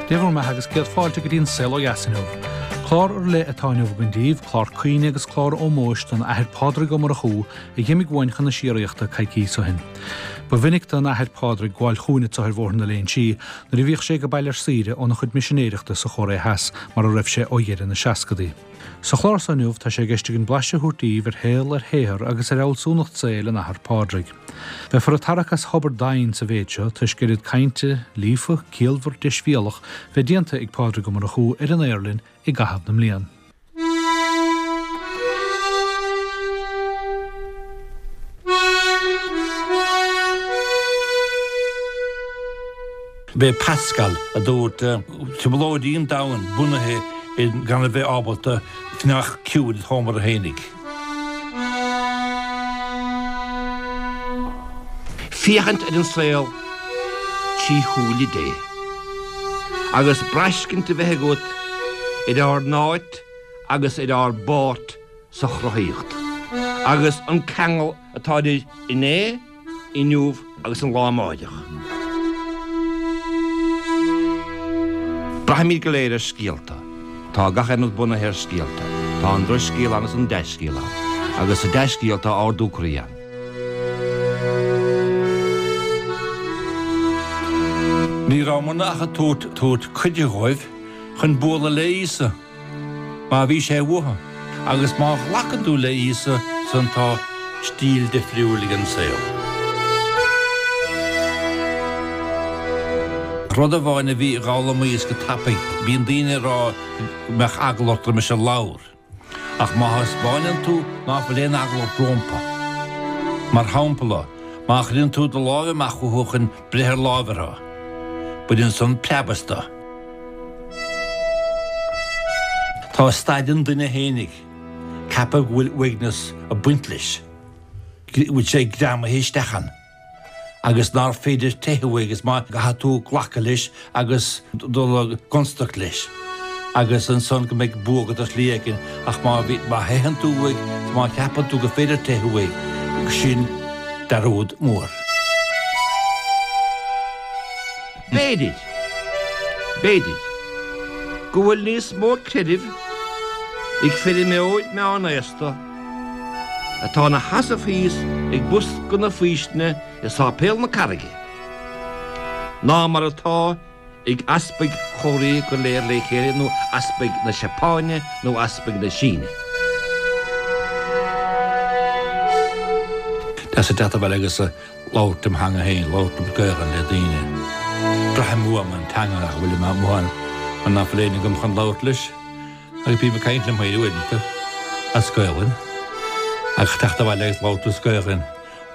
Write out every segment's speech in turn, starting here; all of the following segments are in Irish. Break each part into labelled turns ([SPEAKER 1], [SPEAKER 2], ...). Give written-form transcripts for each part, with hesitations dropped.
[SPEAKER 1] Dé bhur mbeatha agus céad fáilte go dtí an Saol Ó Dheas inniu. Clár ar leith atá inniu againn daoibh, clár cuimhne agus clár ómóis don Athair Pádraig Ó Murchú a dh'imigh uainn chun na síoraíochta coicíos ó shin. Ba mhinic don Athair Pádraig gabháil chugainn anso ar Bhóthar na Léinsí nuair a bhíodh sé ag baile ar saoire óna chuid misinéireachta sa Chóiré Theas mar a raibh sé ó dheireadh na seascadaí. Sa chlár so inniu tá sé i gceist againn blaiseadh a thabhairt daoibh ar shaol, ar shaothar agus ar fhealsúnacht saoil an Athar Pádraig. Beifear ag tarrac as thobar doimhin sa mhéid seo toisc oiread cainte, líofa, ciallmhar, deisbhéalach, bheith déanta ag Pádraig Ó Murchú ar an aer linn i gcaitheamh na mblian.
[SPEAKER 2] B'é Pascal a dúirt, Trioblóidí an domhain bunaithe i gan a bheith ábalta fanacht ciúin i do sheomra fhéinig.
[SPEAKER 3] Féachaint ar an saol trí shúile Dé, agus braiscint a bheith agat ar ár n-áit agus ar ár bpáirt sa chruthaíocht, agus an ceangal atá idir inné, inniu agus an lá amáireach. Braithimid go léir ar scéalta. Tá gach aon rud bunaithe ar scéalta. Tá an drochscéal ann is an dea-scéal ann. Agus sa dea-scéal tá ardú croí ann.
[SPEAKER 2] Ní rabhamarna ach ag tabhairt tabhairt cuidiú dhóibh chun bualadh le Íosa. Má bhí sé uathu. Agus má ghlacann tú le Íosa san tá stíl difriúil ag an saol. Rud amháin a bhí dh'fhoghlaimíos go tapaidh, bíonn daoine ag rá go mbeadh eagla ort roimis an ladhar. Ach má thaispeáineann tú ná fuil aon eagla ort rómpa. Mar shampla, má chuireann tú do láimh amach chucu chun breith ar láimh orthu, baineann san preab astu. Tá staid an duine fhéinig, ceapadh go bhfuil uaigneas ag baint leis, go bhfuil sé greamaithe isteach ann agus nár féidir teitheadh uaidh agus má caithfidh tú glacadh leis agus dul i gconstaic leis agus ansan go mbeidh bua agat ar shlí éigin ach má bhí, má theitheann tú uaidh is má cheapann tú gur féidir teitheadh uaidh, sin dearúd mór.
[SPEAKER 3] B'fhéidir, b'fhéidir, go bhfuil níos mó creidimh ag feirmeoir meánaosta atá ina sheasamh thíos ag bosca na faoistine i Sáipéal na Carraige ná mar atá ag easpaig Chóiré go léir le chéile nó easpaig na Seapáine nó easpaig na Síne.
[SPEAKER 2] Deas a teacht abhaile agus labhairt im theanga féin, labhairt an Gaelainn le daoine. Braithim uaim an teanga nach bhfuil amuigh mar nach bhfuil éinne agam chun labhairt leis agus bím ag caint liom féin uaireanta as Gaelainn ach teacht abhaile agus labhairt as Gaelainn,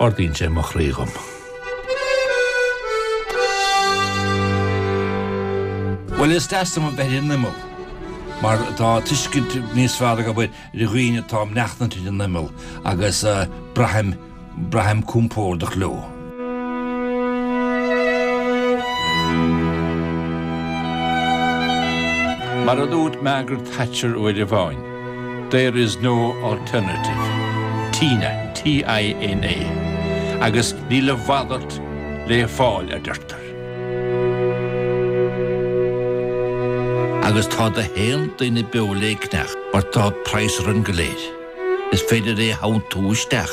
[SPEAKER 2] ardaíonn sé mo chroí dhom. Bhuel, is deas liom a bheith ar an imeall mar tá tuiscint níos fearr agam ar dhaoine atá ag maireachtaint ar an imeall agus braithim Braithim compordach leo.
[SPEAKER 4] Mar a dúirt Margaret Thatcher uair amháin, There is no alternative. Tina, T-I-N-A. Agus níl a mhalairt le fáil, a deirtear.
[SPEAKER 2] Agus tá do haon duine beo léicneach mar tá praghas orainn go léir. Is féidir é a theanntú isteach.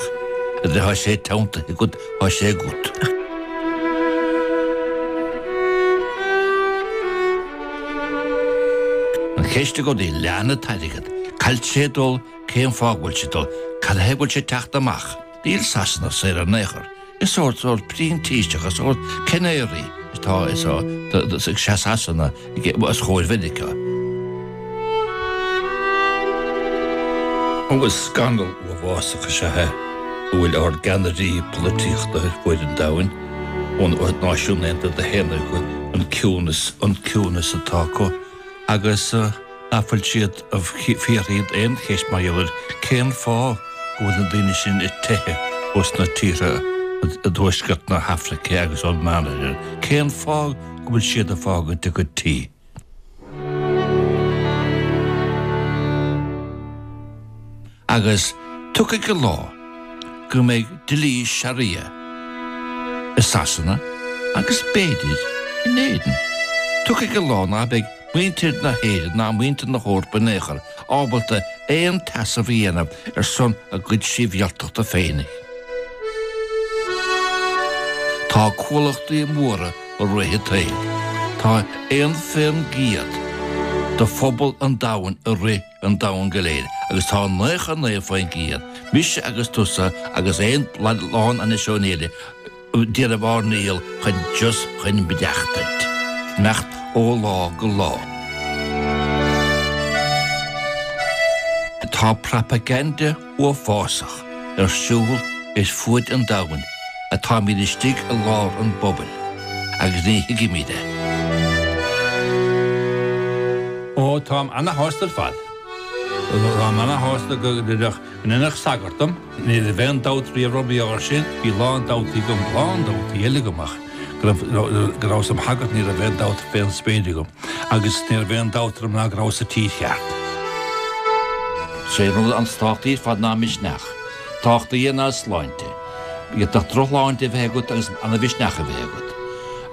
[SPEAKER 2] Nuair atá sé teanntaithe agat, tá sé agat. An cheist i gcónaí, lean an t-airgead. Cá bhfuil sé ag dul, cén fáth go bhfuil sé ag dul, cad chuige go bhfuil sé ag teacht amach? Níl Sasana saor in aon chor. Is sórt sórt printíseach, is sórt canary atá i Sasana os chomhair Mheiriceá.
[SPEAKER 4] Agus scannal uafásach is ea é go bhfuil ár gceannairí polaitíochta ar fuaid an domhain, ó na Náisiúin Aontaithe a shéanadh an ciúnas an ciúnas atá acu agus nach bhfuil siad ag fiafraí aon cheist mar gheall ar cén fáth go bhfuil na daoine sin ag teitheadh ós na tíortha i dtuaisceart na hAfraice agus ón Meánoirthear, cén fáth go bhfuil siad ag fágaint a gcuid tí.
[SPEAKER 2] Agus tiocfaidh an lá go mbeidh dlí Sharia i Sasana agus b'fhéidir in Éirinn.
[SPEAKER 4] Tiocfaidh an lá ná beidh muintir na hÉireann ná muintir na hEorpa in aon chor ábalta aon tseasamh a dhéanamh ar son a gcuid sibhialtachta féinig. Tá cuallachtaí móra i rith an tsaoil. Tá 1% de phobal an domhain i rith an domhain go léir agus tá 99%, mise agus tusa agus aon lán anois ón Éirinn, ag déanamh ár ndícheall chun just chun maireachtaint, imeacht ó lá go lá. Tá propaganda uafásach ar siúl ar fuaid an domhain atáimid istigh i lár an phobail agus ní thuigimid é.
[SPEAKER 2] Ó, táim ana-shásta ar fad. Táim ana-shásta go ndéanfadh sagart dom. Ní raibh aon dabht riamh orm air sin. Bhí a lán dabhtaí agam, a lán dabhtaí eile agam ach go raibh, go rabhas im shagart ní raibh aon dabht fén spéir agam agus ní raibh aon dabht orm ná go rabhas sa tír cheart.
[SPEAKER 4] Sé rud an is tábhachtaí ar fad ná misneach. Tábhachtaí ná sláinte. D'fhéadfadh drochshláinte a bheith agat agus ana-mhisneach a bheith agat.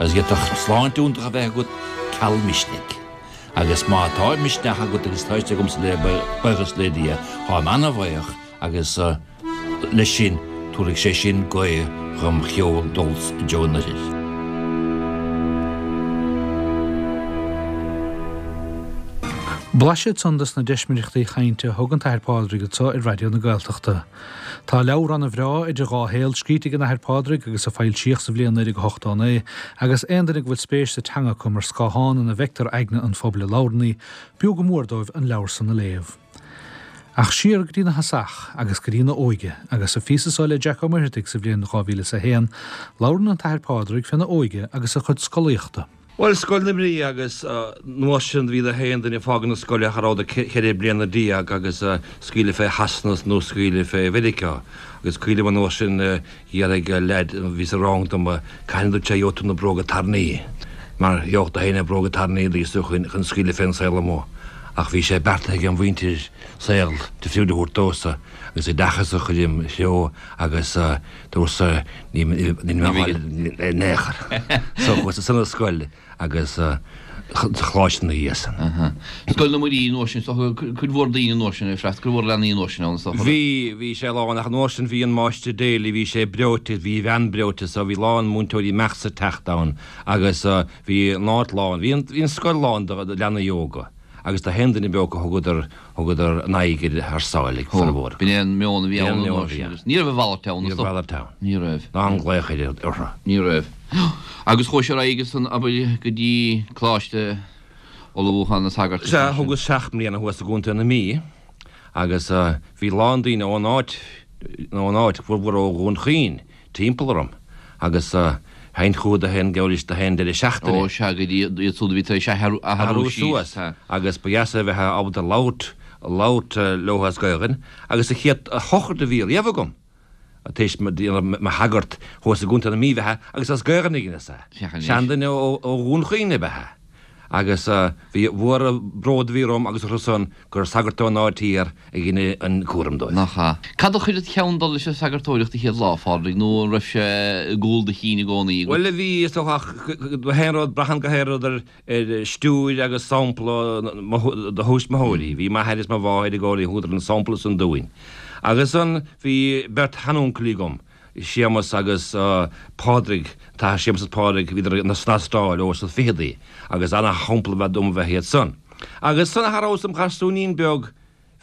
[SPEAKER 4] Agus d'fhéadfadh sláinte iontach a bheith agat ceal misnigh. Agus má tá misneach agat agus tá sé agamsa le buíochas le Dia, táim ana-bhuíoch agus leis sin tabharfaidh sé sin gaoth dhom cheol dul i dtreo an oirthir.
[SPEAKER 1] Blaiseadh ansan dos na deismireachtaí chainte a thug an tAthair Pádraig anso ar Raidió na Gaeltachta. Tá leabhar ana-bhreá, Idir Dhá Shaol, scríte ag an Athair Pádraig agus a foilsíodh sa bhliain 1989 agus aon duine go bhfuil spéis sa teanga acu mar scáthán ina bhfeictear aigne an phobail a labhrann í, b'fhiú go mór dóibh an leabhar san a léamh. Ach siar go dtí na thosach agus go dtí na óige, agus sa phíosa so le Jack Ó Muircheartaigh sa bhliain 2001, labhrann an tAthair Pádraig féna óige agus a chuid scolaíochta.
[SPEAKER 3] Bhuel, Scoil na Mrí agus an uair sin bhí gach aon duine ag fágaint na scoile cha rabhadar 14 bliana agus scaoileadh fé Shasana nó scaoileadh fé Mheiriceá agus cuimhním an uair sin Dh'fhiafraigh leaid a bhí sa rang dom cathain a dúirt sé gheobhaidh tú na bróga tairní mar gheobhadh gach éinne bróga tairní agus tú chun scaoileadh fén saol amuigh. Ach bhí sé beartaithe ag an mhuintir saol difriúil a thabhairt domhsa agus oideachas a chur im threo agus dúrtsa ní mé a ghabháil in aon chor. So chuas ansan ar scoil agus sa choláiste ina dhiaidh
[SPEAKER 5] san. Scoil na Muirí an uair sin, is dócha, cuid mhór daoine an uair sin ag freastal, cuid mhór leanaí an uair sin ann, is dócha.
[SPEAKER 3] Bhí, bhí sé lán, ach an uair sin bhí an Máistir Daly, bhí sé breoite, bhí a bhean breoite so bhí lán múinteoirí imeacht 's ag teacht ann agus bhí an áit lán, bhí an, bhí an scoil lán de leanaí óga agus gach aon duine beo acu thugadar, Thugadar a n-aghaidh ar thar sáile ag formhór.
[SPEAKER 5] B'in é an meon a bhí ann an uair sin agus ní raibh a mhalairt ann.
[SPEAKER 3] Ní raibh a mhalairt ann.
[SPEAKER 5] Ní raibh.
[SPEAKER 3] Ná an glaoch orthu.
[SPEAKER 5] Ní raibh. Agus chuaigh sé ar aghaidh ansan, abair, go dtí Coláiste Ullmhúcháin na Sagart.
[SPEAKER 3] Sea, thugas seacht mbliana thuas i gContae na Mí agus bhí a lán daoine ón áit, ón áit, formhór ó Dhún Chaoin, timpeall orm agus théinn chucu gach aon, gabhailis gach aon deireadh seachtaine.
[SPEAKER 5] Ó sea, go dtí iad siúd a bhí tar éis athrú
[SPEAKER 3] Athrú suas agus ba dheas a bheith ábalta labhairt, labhairt leo as Gaelainn agus an chéad shochraid a bhí riamh agam tar éis mo shagart thuas i gContae na Mí ab ea agus as Gaelainn a dheineas é. Seanduine ó Dhún Chaoin ab ea é. Agus bhí mhór an bród a bhí orm agus orthu san gur sagart ón áit thiar a dhein an cúram dóibh.
[SPEAKER 5] Nach ea. Cad a chuir id cheann dul leis an sagartóireacht an chéad lá, a Phádraig, nó an raibh sé i gcúl do chinn i gcónaí
[SPEAKER 3] agat? Bhuel, bhí, is dócha, ach gach aon rud, braitheann gach aon rud ar stiúir agus sampla do thuismitheoirí. Bhí m'athair is mo mháthair i gcónaí, thugadar an sampla san dúinn. Agus ansan bhí beirt sheanuncailí agam, Séamus agus Pádraig, tá Séamus agus Pádraig, bhíodar san Astráil ó sna ficheadaí agus ana-shampla ab ea dom bheith iad san. Agus san cha rabhas im gharsúinín beag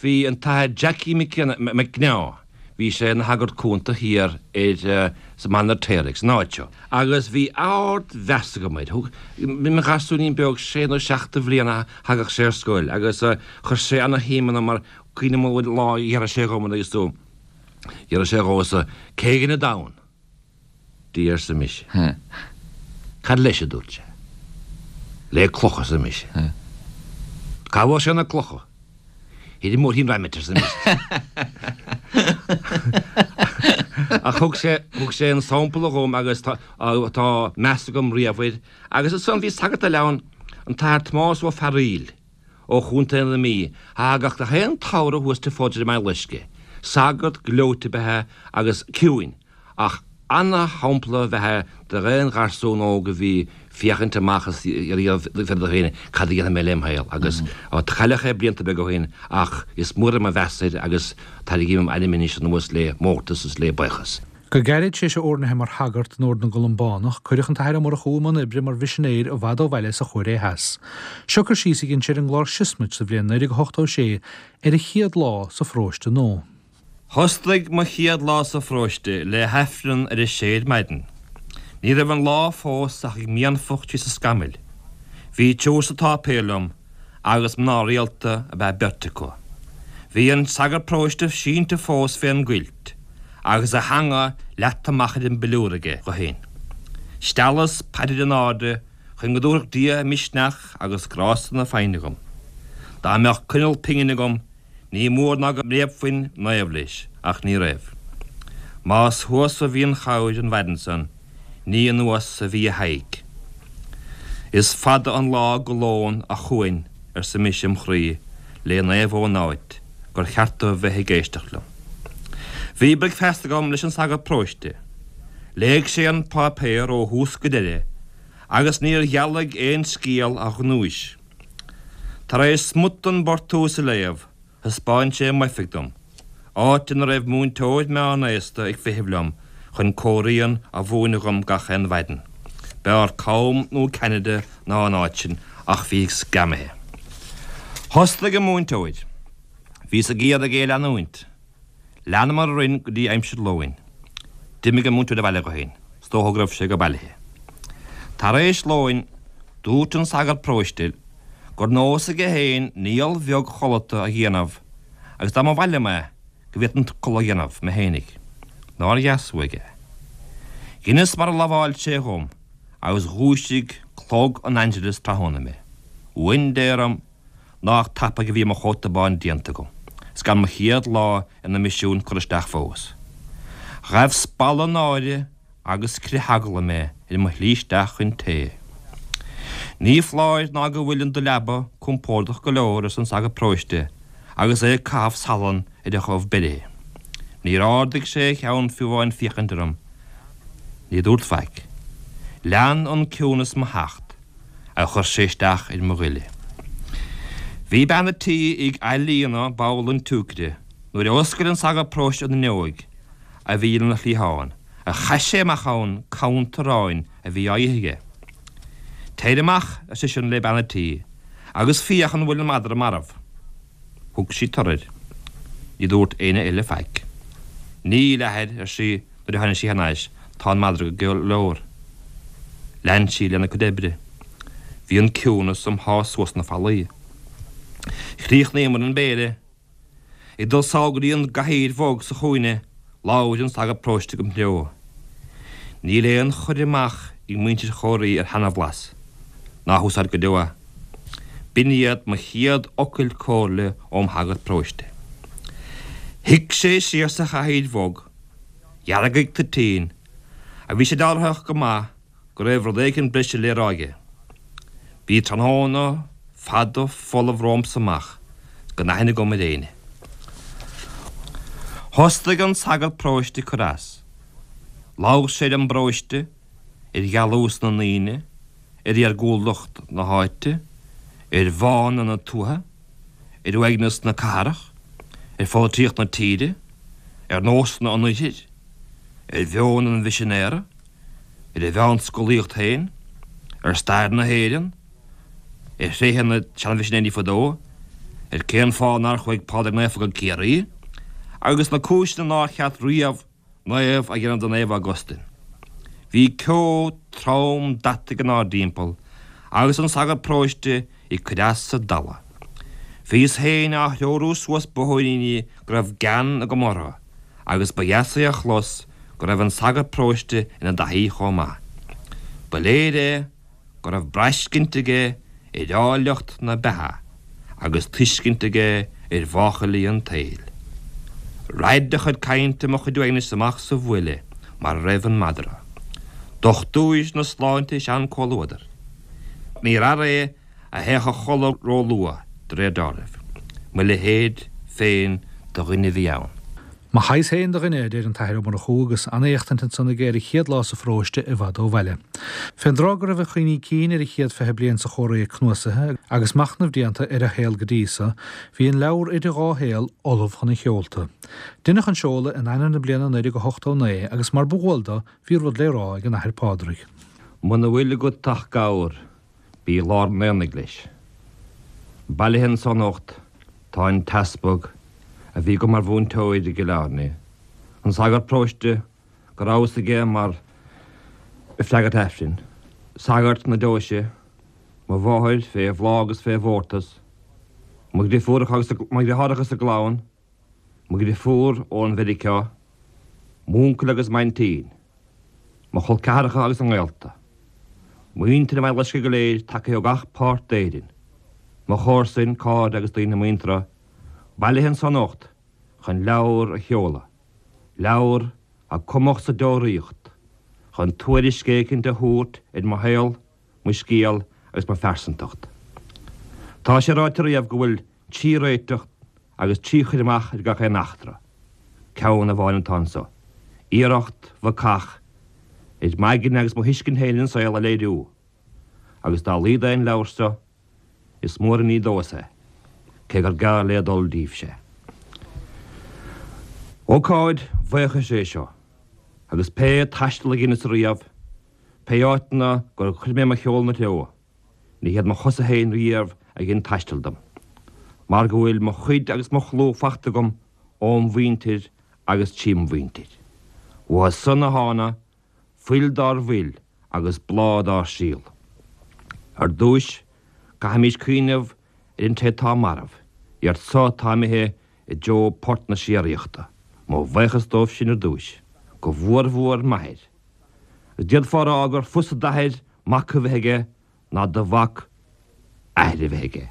[SPEAKER 3] bhí an tAthair Jackie McNeá, bhí sé ina shagart cúnta thiar ar sa Mainéar Téaraigh san áit seo agus bhí ard-mheas agam air. Thug, im gharsúinín beag sé nó seacht de bhliana thagadh sé ar scoil agus chuir sé ana-shuim ionam mar cuimhním lá a d'fhiafraigh sé dhom agus tú D'fhiafraigh sé dhomhsa cé dhein an domhan. Dia arsa mise. Cad leis a dúirt sé. Le clocha arsa mise. Cá bhfuair sé na clocha? Thoir i mBóithrín Raimet arsa mise. Ach thug sé, thug sé an sampla dhom agus tá, tá meas agam riamh air. Agus ansan bhí sagart eile ann, an tAthair Tomás Ó Fearaíl. ó Chontae na Mí, a thagadh gach aon tsamhradh thuas Tigh Pháid i mBaile Loiscthe. Sagart gleoite ab ea é agus ciúin, ach Ana-shampla ab ea é d'aon gharsún óg a bhí féachaint amach is iarraidh fiafraí de féin cad a dhéanfaidh mé lem shaol agus cailleadh é blianta beaga ó shin ach is mór é mo mheas air agus tairgím a ainm anois anuas le mórtas is le buíochas.
[SPEAKER 1] Go gairid tar éis a oirnithe mar shagart in Ord na gColumbánach, cuireadh an tAthair Ó Murchú i mbun oibre mar mhisinéir i bhfad ó bhaile sa Chóiré Theas. Seo cur síos a dhein sé ar an gclár Siosmait sa bhliain 1986 ar a chéad lá sa pharóiste nua.
[SPEAKER 3] Thosnaigh mo chéad lá sa pharóiste le hAifreann ar a sé ar maidin. Ní raibh an lá fós ach ag mianfach síos an scamaill. Bhí triúr sa tsáipéal liom agus mná rialta ab ea beirt acu. Bhí an sagart paróiste sínte fós fén gcuilt agus a theanga leata amach ar an bpiliúr aige dho fhéin. Steallas paidir in airde chun go dtabharfadh Dia misneach agus grásta na foighne dhom. Dá mbeadh coinneal pingine agam Ní mór ná go mbréabfainn naomh leis, ach ní raibh. Más thuas a bhí an chabhair an mhaidin san, ní anuas a bhí a haghaidh. Is fada an lá go lón a chugainn, arsa mise im chroí, le Naomh Eoin áit gur cheart dó bheith ag éisteacht liom. Bhí bricfeasta agam leis an sagart paróiste. Léigh sé an páipéar ó thús go deireadh agus níor dhealaigh aon scéal a ghnúis. Tar éis smut den bportús a léamh, thaispeáin sé m'oifig dom, áit ina raibh múinteoir meánaosta ag feitheamh liom chun Korean a mhúineadh dhom gach aon mhaidin. B'fhearr Com nó Ceanada ná an áit sin, ach bhíos greamaithe. Thosnaigh an múinteoir. Bhíos ag iarraidh é a leanúint. Leanamar orainn go dtí aimsir lóin. D'imigh an múinteoir abhaile dho fhéin. Is dócha go raibh sé go bailithe. Tar éis lóin, dúirt an sagart paróiste gur nós aige fhéin niall bheag chodlata a dhéanamh agus dá mba mhaith liom é go bhféadfainn codladh a dhéanamh mé fhéinig. Nár dheas uaidh é. Dheineas mar a lamháil sé dhom agus dhúisigh clog an Angelus tráthnóna mé. Uain Dé orm! Nách tapaidh a bhí mo chóta bán déanta agam, 's gan mo chéad lá ina misiún curtha isteach fós. Ghaibh spalladh náire agus crith eagla mé ar mo shlí isteach chun tae. Ní foláir ná go bhfuil do leaba compordach go leor, arsa an sagart paróiste agus é ag caitheamh salann ar a dhubh beiréith. Níor ardaigh sé a cheann fiú amháin féachaint orm. Ní dúrt faic. Lean an ciúnas mo theacht. a chuir sé isteach ar mo ghoile. Bhí bean a' tí ag athlíonadh babhla an tsiúicre nuair a oscail an sagart paróiste an fhuinneoig a bhí lena chliathán a chaith sé amach ann camanta aráin a bhí á ithe aige. Téir amach, ar seisean le bean a' tí, agus féach an bhfuil an madra marbh. Thug sí tur air. Ní dúirt éinne eile faic. Níl, a athair, ar sí nuair a tháinig sí thar n-ais, tá an madra go leor. Lean sí lena cuid oibre. Bhí an ciúnas im shá suas na fallaí. Chríochnaíomar an béile. Ag dul sall go dtí an gcathaoir bhog sa chúinne, labhair an sagart paróiste go treo. Níl aon chur amach ag muintir Chomhraí ar sheanabhlas. Ná húsáid go deo é. B'in iad mo chéad fhocail comhairle óm shagart paróiste. Shuigh sé siar sa chathaoir bhog, dheargaigh toitín, a bhí sé dealraitheach go maith go raibh rud éigin breise le rá aige. Bhí tráthnóna fada folamh romhamsa amach gan aithne agam ar éinne. Thosnaigh an sagart paróiste ag cur as. Labhair sé ar an bparóiste, ar dhealús na ndaoine, ar iargúltacht na háite, ar bhánú na tuaithe, ar uaigneas na cathrach, ar pholaitíocht na tíre, ar nósanna an oirthir, ar mheon an mhisinéara, ar a mheánscolaíocht féin, ar stair na hÉireann, ar thréithe na seanmhisinéirí fadó, ar cén fáth nár chuaigh Pádraig Naofa go Ciarraí, agus na cúiseanna nár cheart riamh Naomh a dhéanamh de Naomh Augustin. Bhí ceo trom deataigh inár dtimpeall agus an sagart paróiste ag cur as sa dalladh. Bhíos féin á threorú suas bóithríní go raibh gean agam orthu agus ba dheas é a chlos go raibh an sagart paróiste ina dtaithí chomh maith. Ba léir é go raibh braiscint aige ar áilleacht na beatha agus tuiscint aige ar mháchailí an tsaoil. Raid a chuid cainte mo chuid uaignis amach sa bhuaile mar a raibh an madra. Dochtúir na sláinte is ea an comhluadar. Níor fhear é a théadh a chodladh róluath, de réir dealraimh. Mo leithéid féin de dhuine a bhí ann.
[SPEAKER 1] Mo shaghas féin de dhuine, a deir an tAthair Ó Murchú agus an-éachtaint ansan aige ar a chéad lá sa pharóiste i bhfad ó bhaile. Fén dtráth go raibh a chuimhní cinn ar a chéad 20 bliain sa Chomhraí cnuasaithe agus machnamh déanta ar a shaol go dtí so, bhí an leabhar Idir Dhá Shaol ullamh chun a sheolta. Deineadh an seoladh in Eanáir na bliana 1989 agus mar ba dhual dó, bhí rud le rá ag an Athair Pádraig.
[SPEAKER 3] Muna bhfuil agat ach gabhar, bí i lár an aonaigh leis. Bailithe anso anocht tá an t-easpag a bhí agam mar mhúinteoir i gCill Airne, an sagart paróiste go rabhas aige mar shagart Aifrinn, sagart na deoise, mo mháthair fé bhláth agus fé mhórtas, mo dhrifiúracha agus mo dhriotháireacha is a gclann, mo dhrifiúr ó Mheiriceá, m'úncail agus m'aintín, mo chol ceathracha agus a ngaolta, muintir an Bhaile Loiscthe go léir tagtha ó gach páirt d'Éirinn, mo chomharsain, cairde agus daoine muinteartha, bailithe anso anocht chun leabhar a sheoladh, leabhar a cumadh sa deoraíocht, chun tuairisc éicint a thabhairt ar mo shaol, mo scéal agus mo phearsantacht. Tá sé ráite riamh go bhfuil 3 réiteach agus 3 chur amach ar gach aon eachtra. Ceann amháin atá anso. Iarracht bhacach ar m'aigne agus mo thuiscint féin ar an saol a léiriú. Agus dá laghad é an leabhar seo, is mór an ní domhsa é, cé gur gearr le dul díbhse. Ócáid bhuíochais é seo, agus pé taisteal a dheineas riamh, pé áiteanna gur chuir mé mo sheol 'na treo, Ní hiad mo chosa féin riamh a dhein taisteal dom, mar go bhfuil mo chuid agus mo chlú fachta agam óm mhuintir agus trím mhuintir. Uathu san a thána fuil dár bhfuil agus bláth dár síol. Ar dtúis, caithfimís cuimhneamh ar an té atá marbh, iad so atá imithe i dtreo port na síoraíochta. Mo bhaochas dóibh sin ar dtúis, go mhór-mhór m'athair. D'fhéadfá a rá gur fusa d'athair mac a bheith aige ná do mhac athair a bheith aige.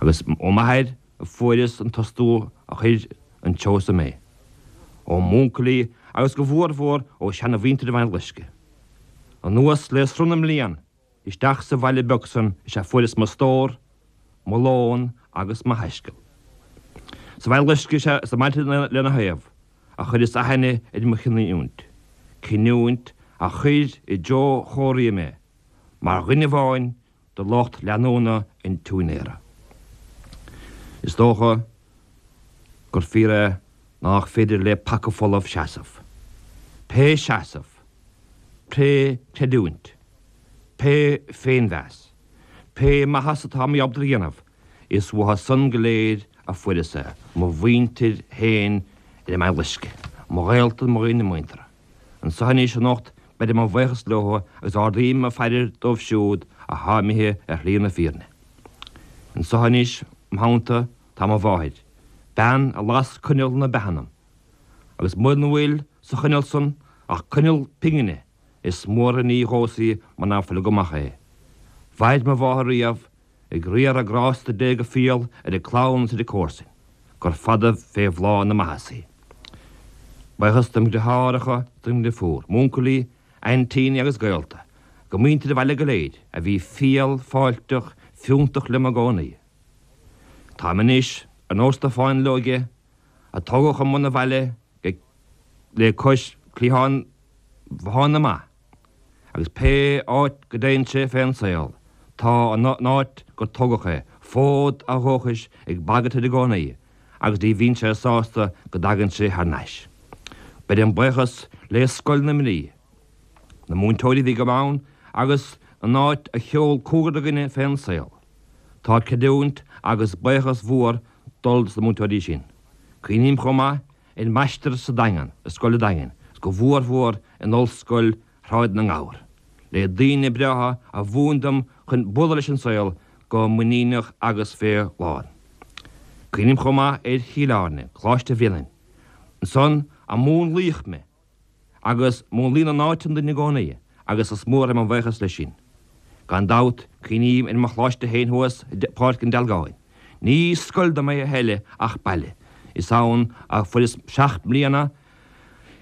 [SPEAKER 3] Agus ó m'athair a fuaireas an t-astú a chuir an treo so mé. Ó m'úncailí agus go mhór-mhór ó sheana-mhuintir an Bhaile Loiscthe. Anuas le sruth na mblian Isteach sa bhaile beag san is ea fuaireas mo stór, mo lón agus mo thaisceal. Sa Bhaile Loiscthe is ea sna bailte lena thaobh a chuireas aithne ar mo chinniúint, cinniúint a chuir i dtreo Chomhraí mé mar dhuine amháin de lucht leanúna an tsiúinéara. Is dócha gur fíor é nách féidir le paca folamh seasamh. Pé seasamh, pé creidiúint, Pé féinmheas, pé maitheas atá mé ábalta a dhéanamh, is uathu san go léir a fuaireas é, mo mhuintir féin ar an mBaile Loiscthe, mo ghaolta, mo dhaoine muinteartha. Anso anois anocht beirim mo bhaochas leo agus ardaím mo phaidir dóibh siúd athá imithe ar shlí na fírinne. Anso anois im theannta tá mo mháthair, bean a las coinneal na beatha ionam, agus muna bhfuil sa choinneal san ach coinneal pingine, Is mór an ní dhomhsa í muna fuil agam ach é. Mhair mo mháthair riamh ag riaradh grásta Dé go fial ar a clann is ar a comharsain, gur fada fé bhláth na maitheasa í. Buíochas dom dheartháireacha is dom dheirfiúr, m'uncailí, aintíní agus gaolta, go muintir an bhaile go léir, a bhí fial, fáilteach, fiúntach liom i gcónaí. Táim anois ar nós na fáinleoige a tógadh i mbun an bhaile le cois cliathán bhothán na mba, agus pé áit go dtéann sé fén saol, tá an áit gur tógadh é, fód a dhúchais ag bagairt air i gcónaí, agus ní bhíonn sé sásta go dtagann sé thar n-ais. Beirim buíochas le Scoil na Mrí, na múinteoirí a bhí agam ann, agus an áit a sheol cúigear againne fén saol. Tá creidiúint agus buíochas mhór dul dos na múinteoirí sin. Cuimhním chomh maith ar m'aistear sa Daingean, i Scoil an Daingin, is go mhór mhór in Ollscoil Shráid na nGabhar, le daoine breátha a mhúin dom chun bualadh leis an saol go muiníneach agus fé lán. Cuimhním chomh maith ar Chill Airne, Coláiste Bhréanainn, ansan a múnlaíodh mé Agus múnlaíonn an áit an duine i gcónaí, agus is mór é mo bhuíochas leis sin. Gan dabht, cuimhním ar mo choláiste féin thuas i bPáirc an Dealgáin. Ní scoil dom é a thuilleadh ach baile. Is ann a fuaireas 7 mbliana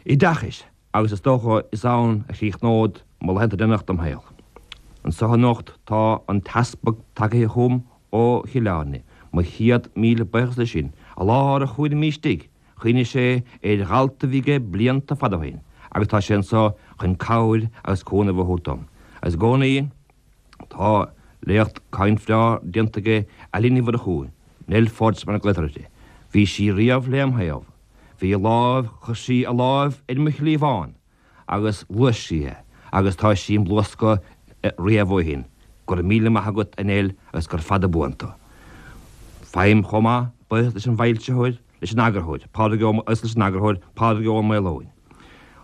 [SPEAKER 3] oideachais agus is dócha is ann a chríochnód mo laethanta deireanach dom shaol. Anso anocht tá an t-easpag tagaithe chugam ó Chill Airne, mo chéad míle buíochas leis sin, i lár a chúraimí istigh. Chuimhnigh sé ar dhalta a bhí aige blianta fada ó shin agus tá sé anso chun cabhair agus cúnamh a thabhairt dom. Agus i gcónaí tá léacht caint bhreá déanta aige Eilín Ní Mhurchú, Nell Pháid mar a glaotar uirthi. Bhí sí riamh lem thaobh. Bhí a lámh, chuir sí a lámh ar mo chliabhán agus ghluais sí é agus tá sí im bhluascadh riamh ó shin. Go raibh míle maith agat a Nell agus gur fada buan tú. Faighim chomh maith buíochas leis an bhfoilsitheoir, leis an eagarthóir, Pádraig Ó agus leis an eagarthóir, Pádraig Ó Maoileoin.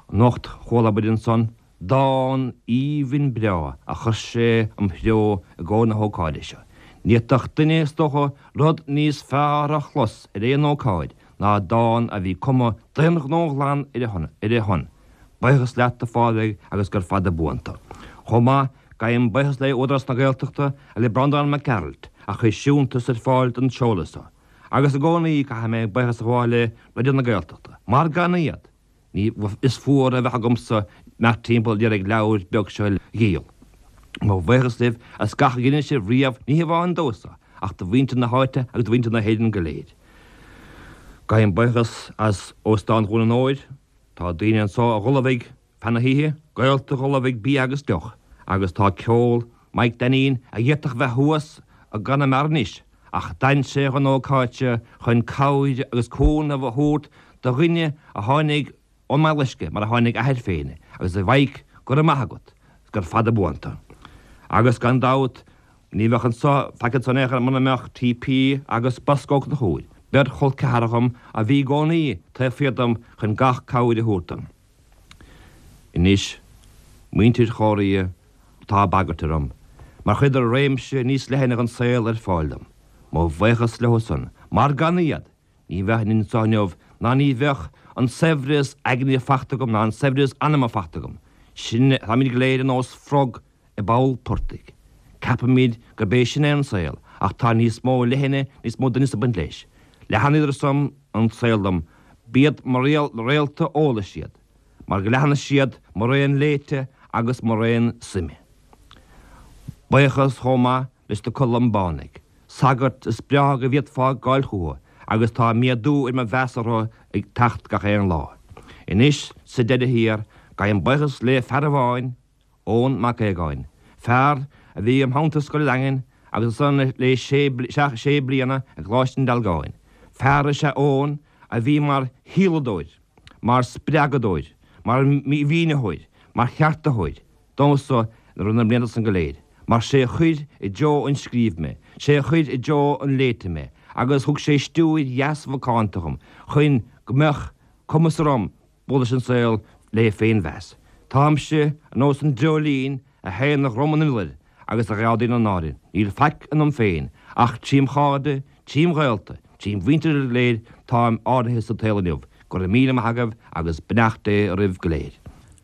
[SPEAKER 3] Anocht chuala muid ansan dán aoibhinn breá a chuir sé im threo i gcomhair na hócáide seo. Ní fhéadfadh duine, is dócha, rud níos fearr a chlos ar aon ócáid ná dán a bhí cumtha d'aon ghnó ghlan ar a shon. Buíochas leat, a Phádraig, agus gur fada buan tú. Chomh maith, gabhaim buíochas le Údarás na Gaeltachta agus le Breandán Mac Gearailt a chuir siúntas ar fáil don seoladh seo. Agus i gcónaí caithfidh mé buíochas a ghabháil le Raidió na Gaeltachta, mar gan iad, ní is fuar a bheadh agamsa imeacht timpeall ag iarraidh leabhar beag seo a dhíol. Mo bhuíochas libh as gach a dheineann sibh riamh, ní hamháin domhsa, ach do mhuintir na háite agus do mhuintir na hÉireann go léir. Gabhaim buíochas as Óstán Dhún an Óir. Tá daoine anso a dh'ullmhaigh feadh na hoíche, gaolta a dh'ullmhaigh bia agus deoch, agus tá ceol Mike Dainín a d'fhéadfadh bheith thuas i gConamara anois, ach d'fhan sé dhon ócáid seo chun cabhair agus cúnamh a thabhairt do dhuine a tháinig ón mBaile Loiscthe, mar a tháinig a athair féin, agus a Mhaidhc, go raibh maith agat, 's gur fada buan tú. Agus gan dabht, ní bheadh anso, faic anso in aon chor muna mbeadh TP agus Bosco Ó Conchúir, beirt chol ceathar dhom a bhí i gcónaí taobh thiar dom chun gach cabhair a thabhairt dom. Anois, muintir Chomhraí, tá bagairt orm, mar chuireadar réimse níos leithne den saol ar fáil dom. Mo bhuíochas leo san, mar gan iad, Ní bheinn anso inniu ná ní bheadh an saibhreas aigne fachta agam ná an saibhreas anama fachta agam. Sin, táimid go léir ar nós frog i bpoll portaigh. Ceapaimid gurb é sin é an saol, ach tá níos mó leithne, níos mó doimhneas ag baint leis. Leathnaíodar san an saol dom, b'iad mo réalta eolais iad, mar go leathnaigh siad mo raon léite agus mo raon suime. Buíochas chomh maith leis na Colmbánaigh. Sagart is breá go bhféadfá gabháil chucu agus tá méadú ar mo mheas orthu ag teacht gach aon lá. Anois, sa deireadh thiar, gabhaim buíochas le fear amháin, Eoin Mac Aogáin, fear a bhí im theannta i Scoil an Daingin agus ansan le sé bliana i gColáiste an Dealgáin. Fear is ea Eoin a bhí mar shíoladóir, mar spreagadóir, mar mhínitheoir, mar cheartaitheoir, domsa i rith na mblianta san go léir, mar sé a chuir i dtreo an scríobh mé, sé a chuir i dtreo an léite mé, agus thug sé stiúir dheas mhacánta dhom chun go mbeadh cumas orm bualadh leis an saol le féinmheas. Táimse ar nós an dreoilín a théann ar dhroim an iolair agus a gheádaíonn an náire. Níl faic ionam féin, ach trím chairde, trím ghaolta, trím mhuintir go léir táim ardaithe sa tsaol inniu. Go raibh míle maith agaibh agus beannacht Dé oraibh go léir.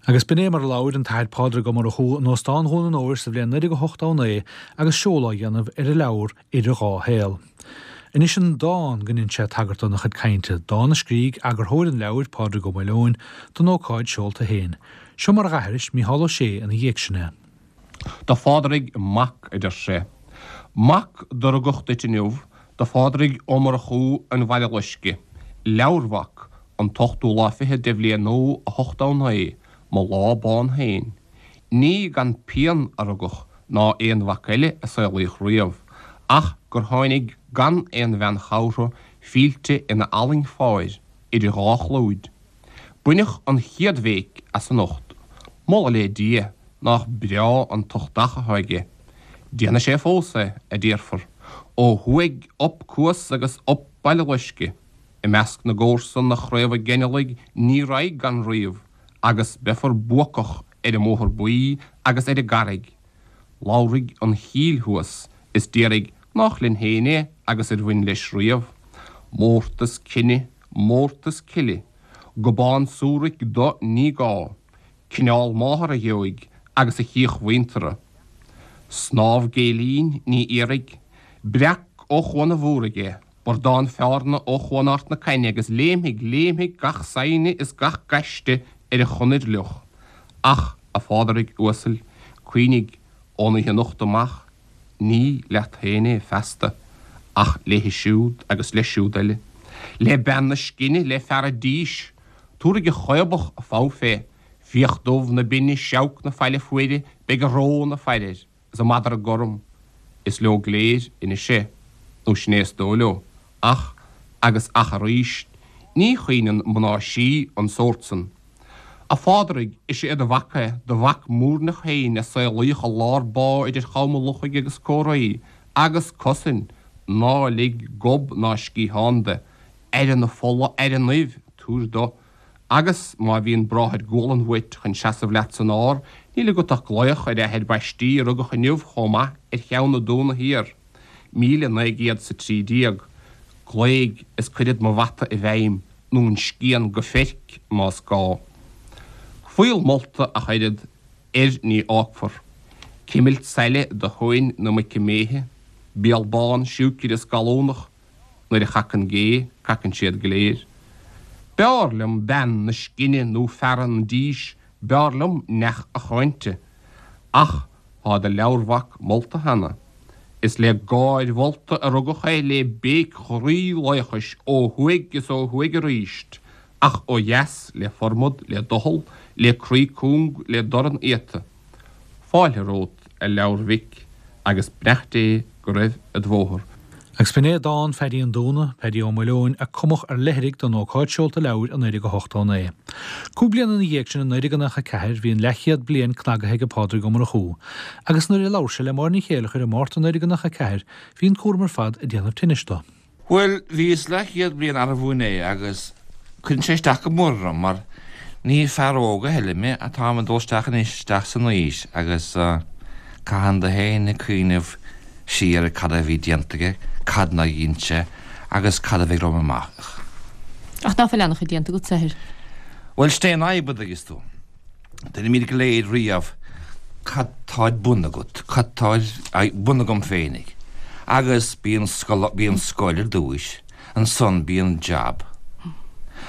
[SPEAKER 1] Agus b'in é mar a labhair an tAthair Pádraig Ó Murchú in Óstán Dhún an Óir sa bhliain 1989 agus seoladh á dhéanamh ar a leabhar Idir Dhá Shaol. Anois an dán go ndein sé tagairt dó ina chuid cainte, dán a scrígh eagarthóir an leabhair, Pádraig Ó Maoileoin, don ócáid seolta féin. Seo mar a dh'aithris Mícheál Ó Sé ina dhiaidh sin é.
[SPEAKER 6] Do Phádraig mac, a deir sé. Mac do rugadh duit inniu, do Phádraig Ó Murchú an Bhaile Loiscthe, leabharmhac, an t-ochtú lá fichead de bhliain nua 89, mo lá bán féin. Ní gan pian a rugadh ná aon mhac eile a saolaíodh riamh, ach gur tháinig gan aon bhean chabhartha fillte ina fhallaing pháir idir dhá chlúid. Baineadh an chéad bhéic as anocht. Moladh le Dia nách breá an t-uchtach atá aige. Déanfaidh sé fós é, a déarfar. Ó thuaidh up Cuas agus up Baile Loiscthe. I measc na gcomharsan a chraobhaigh geinealaigh ní raghaidh gan ríomh agus beifear buacach ar an mBóthar Buí agus ar an gCarraig. Labharfaidh an chill thuas is déarfaidh nách linn féin é agus ar bhain leis riamh. Mórtas cine, mórtas cille, gobán súraic do ní gá, cineál máthar a gheobhaidh agus a chríoch mhuinteartha. Snámh gcéilín ní iarrfaidh, breac ó Chuan an Mhúraigh é, burdán feárna ó Chuan Art na Cainne agus léimfidh, léimfidh gach saighne is gach gaiste ar an chonair fhliuch. Ach, a Phádraig uasail, cuimhnigh, ón oíche anocht amach, Ní leat féin é feasta, ach léi siúd agus leis siúd eile. Le bean na scine, le fear a' dís, Tabharfaidh an chaobach a fogha fé, Fiach dubh na binne, seabhac na faille fuaire, Beidh an ró 'na faire air, is an madra gorm, Is leo go léir anois é, nó sin é is dóigh leo, Ach, agus ach arís, ní chaoineann mná sí an sórt san. A Phádraig, is é do mhac é, do mhac muirneach féin a saolaíodh i lár bá idir Chom an Lochaigh agus Comhraí, agus cosain, ná lig gob ná sciathán de, aire na fola, aire an fhuil, tabhair do, agus má bhíonn bráthair gualann uait chun seasamh leat san ár, níl agat ach glaoch ar athair baistí a rugadh inniu chomh maith ar cheann na Dúna Thiar, 1913. Glaoigh is cuirfead mo bhata i bhfeidhm, nó an scian go feirc, más gá. Fuíoll molta ach oiread, air ní fhágfar. Cimilt saille do thóin na muice méithe, béal bán, siúicre is gallúnach, Nuair a chacann gé, cacann siad go léir. B'fhearr liom bean na scine nó fear an dís, b'fhearr liom neach a cháinte. Ach tá do leabharmhac molta cheana. Is le gáir mholta a rugadh é le béic ghroí laochais ó thuaidh is ó thuaidh arís, ach ó dheas le formad, le doicheall, le croí cúng, le dorn iata. Fáilte romhat, a leabharmhic, agus beannacht Dé go raibh id bhóthar.
[SPEAKER 1] Agus b'in é dán Pheaidí an Dúna, Peaidí Ó Maoileoin, a cumadh ar leithrigh don ócáid seolta leabhair i 1989. Cúig bliana ina dhiaidh sin i 1994 bhí an leathchéad bliain cnagaithe aige Pádraig Ó Murchú, agus nuair a labhair sé le Máire Ní Chéileachair i Márta 1994 bhí an cúram ar fad ag déanamh tinnis dó.
[SPEAKER 2] Bhuel, bhíos leathchéad bliain arbh inné agus cuireann sé isteach go mór orm mar ní fear óg a thuilleadh mé, táim ag dul isteach anois isteach san aois agus caitheann tú féin ag cuimhneamh siar ar cad a bhí déanta aige, cad nár dhein sé agus cad a bheidh romham amach.
[SPEAKER 7] Ach ná fuil an-chuid déanta agat, a Athair?
[SPEAKER 2] Bhuel, sin é an fhadhb, a dtuigeas tú. Deinimid go léir riamh cad tá ar bun agat, cad tá ar bun agam féinig. Agus bíonn scoil, bíonn scoil ar dtúis, ansan bíonn jab,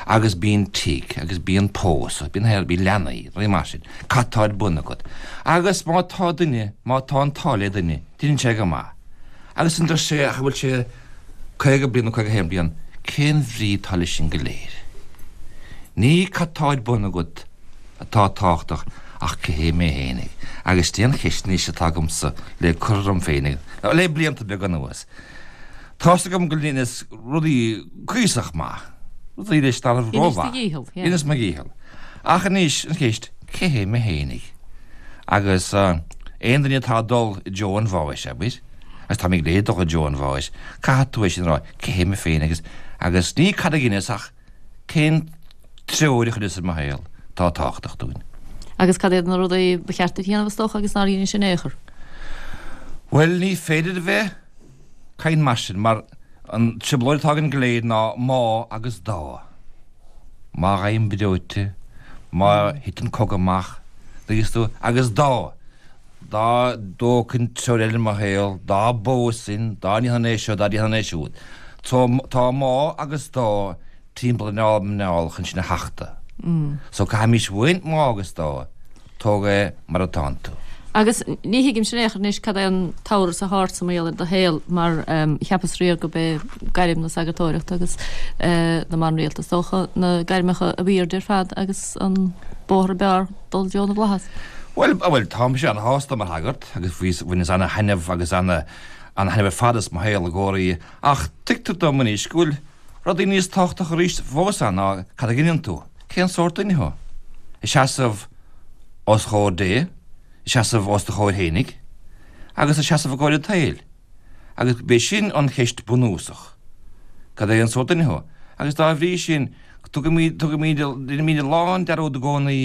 [SPEAKER 2] agus bíonn tigh, agus bíonn pósadh, bíonn hair, bíonn leanaí, rudaí mar sin. Cad tá ar bun agat? Agus má tá duine, má tá an t-ádh le duine, deineann sé go maith. Agus ansan deir sé, ach an bhfuil sé 50 bliain nó 51 bliain, cén bhrí atá leis sin go léir? Ní cad tá ar bun agat, atá tábhachtach ach cé hé mé fhéinig? Agus sin é an cheist anois atá agamsa le cur orm féinig le blianta beaga anuas. Tá's agam go ndeineas rudaí cuíosach maith, rudaí leis nárbh
[SPEAKER 7] rómhaith. Dheinis do dhícheall,
[SPEAKER 2] yeah. Dheineas mo dhícheall. Ach anois an cheist, cé hé mé fhéinig? Agus aon duine atá ag dul i dtreo an bháis, abair, agus táimid go léir ag dul i dtreo an bháis, caithfidh tú é sin a rá, cé hé mé féin agus, agus ní cad a dheineas ach Cén treoir a chuireas ar mo shaol atá tábhachtach dúinn?
[SPEAKER 7] Agus cad iad na rudaí ba cheart duit a dhéanamh, is dócha, agus nár dheinis in aon chor?
[SPEAKER 2] Bhuel, ní féidir a bheith ag caint mar sin, mar an trioblóid atá againn go léir ná má agus dá. Má fhaighim breoite, má thiteann cogadh amach, dtuigeas tú, agus dá. Dá dtógfainn treoir eile i mo shaol, dá bpósfainn, dá ndéanfainn é seo, dá ndéanfainn é siúd. Tá má agus dá timpeall ar an muineál chun sinn a thachtadh. So caithfimís uainn má agus dá, tóg é mar atánn tú.
[SPEAKER 7] Agus ní thuigimse in aon chor anois cad é an t-amhras atá ortsa mar gheall ar do shaol, mar cheapas riamh gurb é gairm na sagartóireachta agus na mban rialta is dócha na gairmeacha ab aoirde ar fad agus an bóthar ab fhearr dul i dtreo na bhflaitheas.
[SPEAKER 2] Bhuel, bhuel, tá mise ana-shásta mar shagart agus bhíos, bhaineas ana-thaitneamh agus ana, ana-thaitneamh ar fad as mo shaol i gcónaí ach tuigtear dom anois go bhfuil rudaí níos tábhachtacha arís fós ann ná cad a dheineann tú, cén sórt duine thú? Ag seasamh os chomhair Dé, ag seasamh os do chomhair fhéinig agus ag seasamh i gcomhair an tsaoil. Agus b'é sin an cheist bunúsach, cad é an sórt duine thú? Agus dá bhrí sin, tugaimid, tugaimid, deinimid a lán dearúd i gcónaí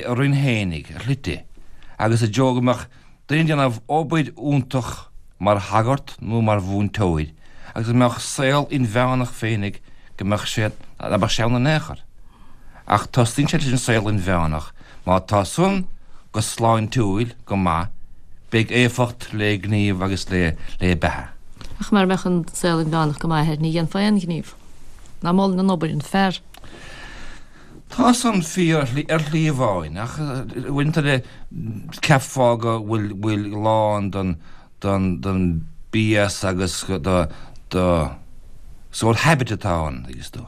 [SPEAKER 2] orainn fhéinig, ar shlite, agus i dtreo go mbeadh duine ag déanamh obair fhiúntach mar shagart nó mar mhúinteoir agus go mbeadh saol inmheánach féinig go mbeadh sé, ná beadh sé ann in aon chor. Ach tosaíonn sé leis an saol inmheánach. Má tá san go sláintiúil, go maith, beidh éifeacht le gníomh agus le beatha.
[SPEAKER 7] Ach mara mbeadh an saol inmheánach go maith, ní dhéanfá aon ghníomh. Ná molainn an obair an fear.
[SPEAKER 2] Tá san fíor ar shlí amháin, ach uaireanta eile cheapfá go bhfuil bhfuil lán den den den BS agus do do Sórt habit atá ann, thuigeas tú,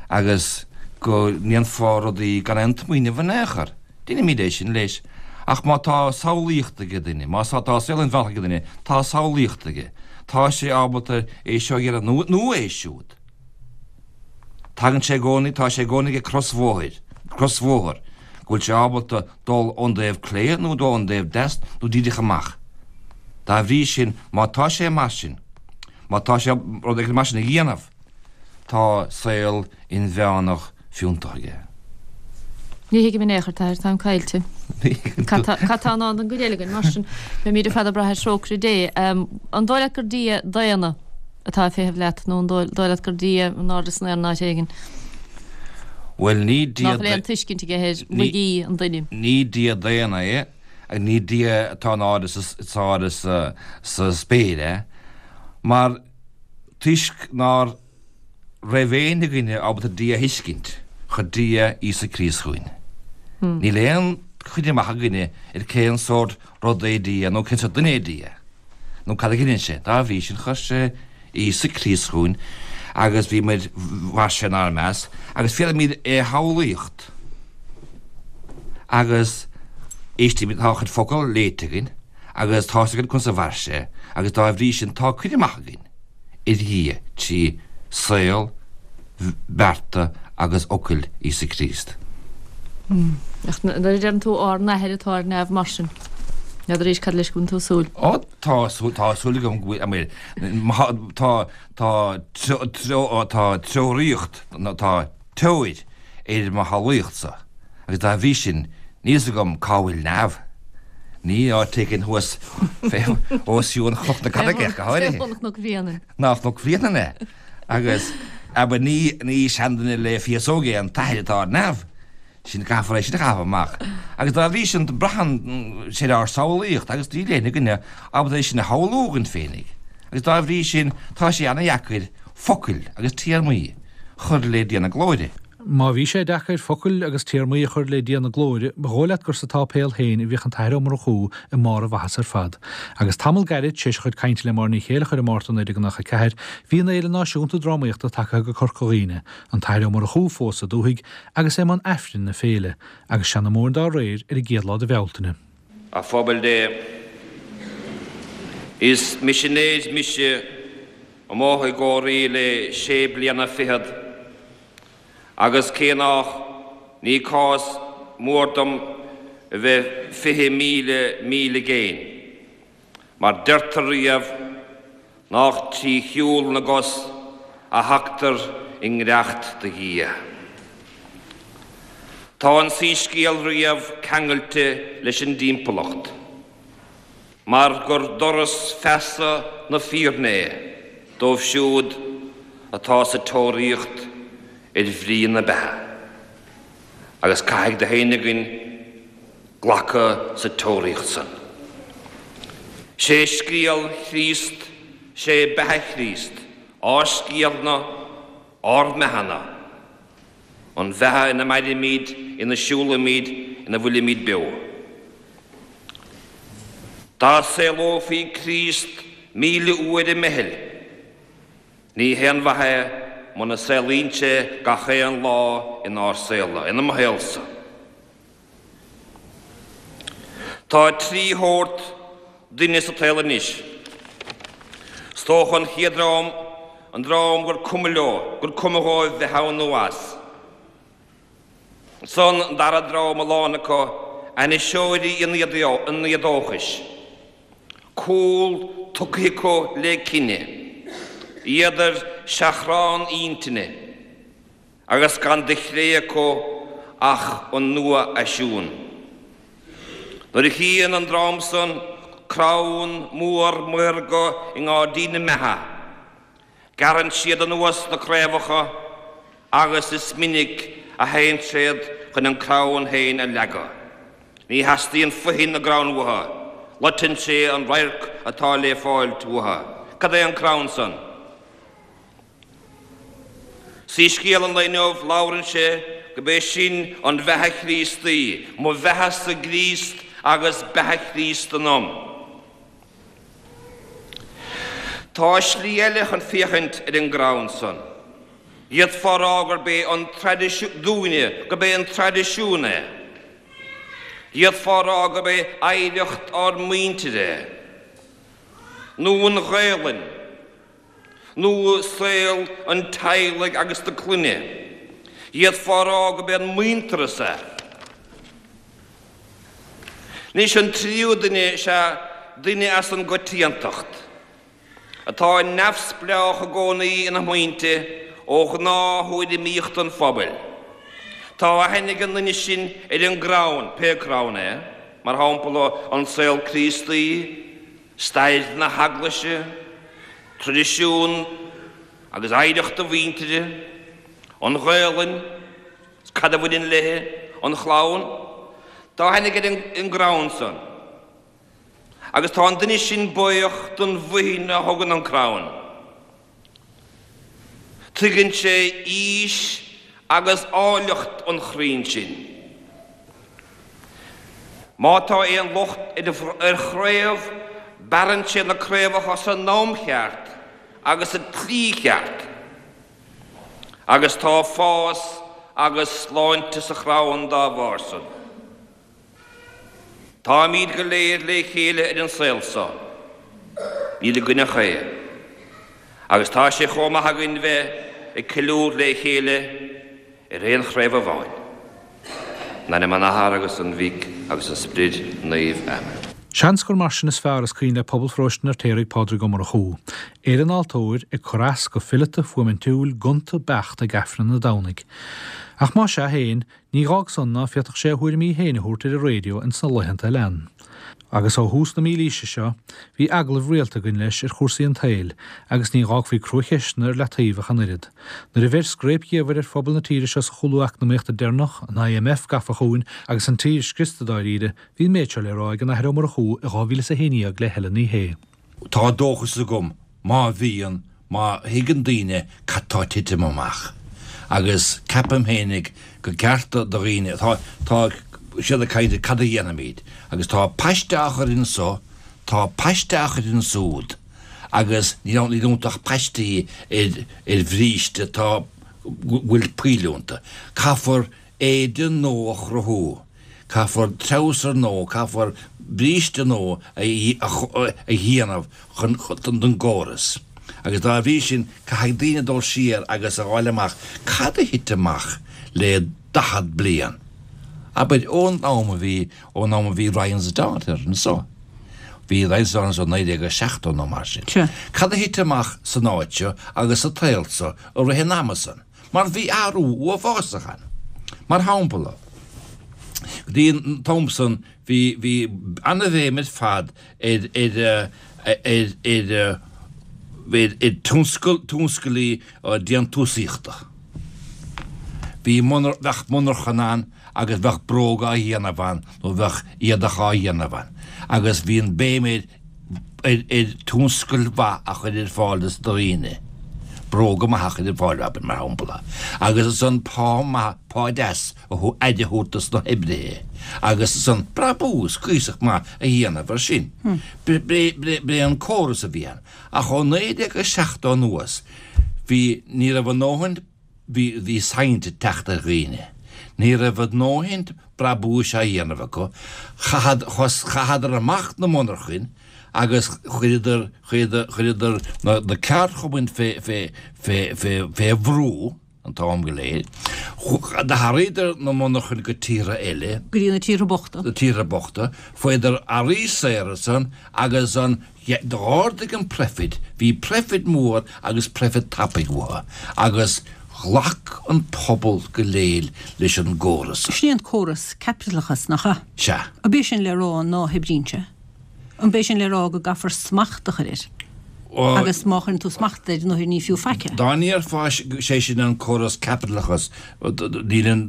[SPEAKER 2] agus go ndéanfá rudaí gan aon tsmaoineamh in aon chor. Deinimid é sin leis. Ach má tá samhlaíocht ag duine, má tá saol inmheánach ag duine, tá samhlaíocht aige. Tá sé ábalta é seo a dhéanamh nó é siúd. Tagann sé i gcónaí, tá sé i gcónaí ag crosbhóthair, crosbhóthar, go bhfuil sé ábalta dul ón dtaobh clé nó dul ón dtaobh deas nó díreach amach. Dá bhrí sin, má tá sé mar sin, má tá sé rud éigin mar sin a dhéanamh, tá saol inmheánach fiúntach aige.
[SPEAKER 7] Ní thuigim in aon chor, a Athair, táim caillte. Cad tá i ndán don gcuid eile againn, mar sin? Beimid ar fad ag brath ar thrócaire Dé. An dóigh leat gur Dia daonna atá ag feitheamh leat, nó an dóigh leat gur Dia in airde san aer in áit éigin?
[SPEAKER 2] Bhuel, ní Dia.
[SPEAKER 7] Nach bhfuil aon tuiscint aige ar laigí an duine.
[SPEAKER 2] Ní Dia daonna é, agus ní Dia atá in airde sa spéir é, mar toisc nár raibh éinne againne ábalta Dia a thuiscint, chuir Dia Íosa Críost chugainn. Níl aon chuid amach againne ar cén sórt rud é Dia nó cén sórt duine é Dia, nó cad a dheineann sé. Dá bhrí sin, chuir sé Íosa Críost chugainn agus bhí muid, mhair sé inár measc, agus féadaimid é a shamhlaíocht. Agus éistimid, tá a chuid focal léite againn, agus tá's againn conas a mhair sé, agus dá bhrí sin tá cuid amach againn ar Dhia trí saol, bearta agus fhocail Íosa Críost.
[SPEAKER 7] Ach nuair a deireann tú Ár nAthair atá ar neamh mar sin, n'fheadar arís cad leis go bhfuil tú ag súil.
[SPEAKER 2] Ó, tá súil, tá súil agam go bhfuil, tá, tá, tá treoraíocht, tá teoir ar mo shamhlaíochtsa, agus dá bhrí sin, níl fhios agam cá bhfuil neamh. Ní áit éigin thuas os cionn Chnoc na Carraige, go háirithe.
[SPEAKER 7] Fé bun Chnoc Bhréanainn.
[SPEAKER 2] Ná Cnoc Bhréanainn é. Agus, abair, ní, ní seanduine le féasóg é an t-athair atá ar neamh. Sin, caithfear é sin a chaitheamh amach. Agus dá bhrí sin, braitheann sé ar ár samhlaíocht agus níl éinne againne ábalta é sin a shamhlú againn féinig. Agus dá bhrí sin, tá sé ana-dheacair focail agus téarmaí a chur le Dia na Glóire.
[SPEAKER 1] Má bhí sé deacair focail agus téarmaí a chur le Dia na Glóire, ba dhóigh leat gur sa tsáipéal féin a bhíodh an tAthair Ó Murchú i mbarr a mhaitheasa ar fad. Agus tamall gairid tar éis a chuid cainte le Máire Ní Chéilleachair i Márta 1994, bhí an Fhéile Náisiúnta Drámaíochta tagtha go Corca Dhuibhne, an tAthair Ó Murchú fós sa dúthaigh agus é i mbun Aifrinn na féile, agus seanmóir dá réir ar an gcéad lá de Bhealtaine.
[SPEAKER 3] A phobal Dé, is misinéir mise amuigh i gCóiré le sé bliana fichead, agus cé nách ní cás mór dom a bheith 20,000 míle i gcéin, mar deirtear riamh nách trí shiúl na gcos a thagtar i ngiorracht do Dhia. Tá an soíscéal riamh ceangailte leis an dtimpeallacht. Mar gur doras feasa na fírinne é dóibh siúd atá sa tóraíocht ar bhrí na beatha, agus caithfidh gach éinne againn glacadh sa tóraíocht san. Sé scéal Chríost, sé beatha Chríost, ár scéalna, ár mbeatha-na. An bheatha ina mairimid, ina siúlaimid, ina bhfuilimid beo. Dá saolófaí Críost 1,000 uair i mBeithil, ní haon mhaith é muna saolaíonn sé gach aon lá inár saol, ina mo shaolsa. Tá trí shórt duine sa tsaol anois. 'S dócha an chéad dream, an dream gur cuma leo, gur cuma dhóibh bheith ann nó as. Ansan an dara dream, a lán acu, ainniseoirí an éadóchais. Cúl tugtha acu le cine. Iad ar seachrán intinne. Agus gan de chré acu ach an nua-fhaisiún. Nuair a chíonn an dream san crann mór maorga i ngáirdín na mbeatha, gearrann siad anuas na craobhacha agus is minic a théann siad chun an crann féin a leagadh. Ní theastaíonn foithin na gcrann uathu, loiteann sé an radharc atá le fáilt uathu. Cad é an crann san? Soíscéal an lae inniu, labhrann sé gurb é sin an bheatha Chríostaí, mo bheatha-sa i gCríost agus beatha Chríost ionam. Tá slí eile chun féachaint ar an gcrann san. D'fhéadfá a rá gurb é an traidisiún, dúinne, gurb é an traidisiún é. D'fhéadfá a rá gurb é oidhreacht ár muintire é. Nó an Ghaelainn. Nó saol an teaghlaigh agus na clainne. D'fhéadfá a rá gurb é an muintearas é. Anois an tríú duine is ea duine as an gcoitiantacht, atá neamhspleách i gcónaí ina smaointe ó ghnáth-thuairimíocht an phobail. Tá aithne ag an nduine sin ar an gcrann, pé crann é, mar shampla an saol Críostaí, stair na hEaglaise, traidisiún agus oidhreacht a mhuintire, an Ghaelainn, 's cad a bhaineann léi, an chlann. Tá aithne aige ar an gcrann san. Agus tá an duine sin buíoch don bhuidhin a thugann an crann. Tuigeann sé aois agus áilleacht an chrainn sin. Má tá aon locht ar chraobh, bearrann sé na craobhacha san am cheart agus sa tslí cheart. Agus tá fás agus sláinte sa chrann dá bharr san. Táimíd go léir lé chéile ar an saol so. Níl againn ach é. Agus tá sé chomh maith againn bheith ag ceiliúr lé chéile ar aon chraobh amháin. In ainm an Athar agus an Mhic agus an Sprid Naoimh. Amen.
[SPEAKER 1] Seans gur mar sin is fearr is cuimhin le pobal pharóiste an Fheirtéaraigh Pádraig Ó Murchú. É ar an altóir, ag cur as go fileata, fuaimintiúil, gonta, beacht ag Aifreann an Domhnaigh. Ach más ea féin, ní dh'fhág san ná féadfadh sé a thuairimí féin a thabhairt ar an raidió ins na laethanta a lean. Agus ó thús na mílaoise seo, bhí agallaimh rialta againn leis ar chúrsaí an tsaoil, agus ní dh'fhágfaí cruacheisteanna ar leataobh ach an oiread. Nuair a bheir scréip dhiamhair ar phobal na tíre seo sa chúlú eacnamaíochta deireanach, an IMF gafa chugainn agus an tír scriosta dáiríre, bhí an méid seo le rá ag an Athair Ó Murchú i 2011 le Helen Ní Shé.
[SPEAKER 2] Tá dóchas agam, má bhíonn, má thuigeann daoine cad tá ag titim amach. Agus ceapaim fhéinig go gceart do dhaoine, tá, tá siad ag caint cad a dhéanfaimid, agus tá paiste á chur anso, tá paiste á chur ansúd, agus níl ann, níl iontu ach paistí ar, ar bhríste atá, go bhfuil poill iontu. Caithfear éide nua a chruthú. Caithfear treabhsar nua, caithfear bríste nua a dhéanamh chun don gcóras. Agus dá bhrí sin, caithfidh daoine dul siar agus a fháil amach cad a thit amach le 40 bliain, abair, ón am a bhí, ón am a bhí Ryan's Daughter anso. Bhí Ryan's Daughter anso 1970 nó mar sin. Cad a thit amach san áit seo agus sa tsaol seo i rith an ama san? Mar bhí athrú uafásach ann. Mar shampla, go dtí an t-am san bhí, bhí ana-bhéim ar fad ar, ar, ar, ar, ar, ar tionscal, tionscalaí déantúsaíochta. Bhí monar, bheadh monarchan ann agus bheadh bróga á dhéanamh ann nó bheadh éadach á dhéanamh ann agus bhí an béim ar, ar tionscal mhaith a chur ar fáil dos na daoine, bróga maithe a chur ar fáil, abair, mar shampla, agus ansan pá maith, pá deas a thabhairt, aire a thabhairt dos na hoibrithe, agus ansan brabús cuíosach maith a dhéanamh ar sin. B'é an córas a bhí ann. Ach ó 1970 anuas, bhí, ní raibh a ndóthain, Bhí, bhí saint ag teacht ar dhaoine. Ní raibh a ndóthain brabúis á dhéanamh acu. Chaithead, chaitheadar amach na monarchain agus chuireadar, chuireadar, chuireadar na, na ceardchumainn fé, fé, fé, fé, fé bhrú an t-am go léir. D'athraíodar na monarchain go tíortha eile.
[SPEAKER 8] Go dtí na tíortha bochta.
[SPEAKER 2] Na tíortha bochta. Fuaireadar earraí saora ansan agus an D'ardaigh an proifid, bhí proifid mór agus proifid tapaidh uathu, agus ghlac an pobal go léir leis an gcóras.
[SPEAKER 8] Sin é an córas caipitleachas, nach ea?
[SPEAKER 2] Sea.
[SPEAKER 8] An b'é sin le rá ná hoibríonn sé? An b'é sin le rá go gcaithfear smacht a chur air? Agus má chuireann tú smacht air, nuair ní fiú faic é.
[SPEAKER 2] Dá ndéarfá sé sin an córas caipitleachas, níl an,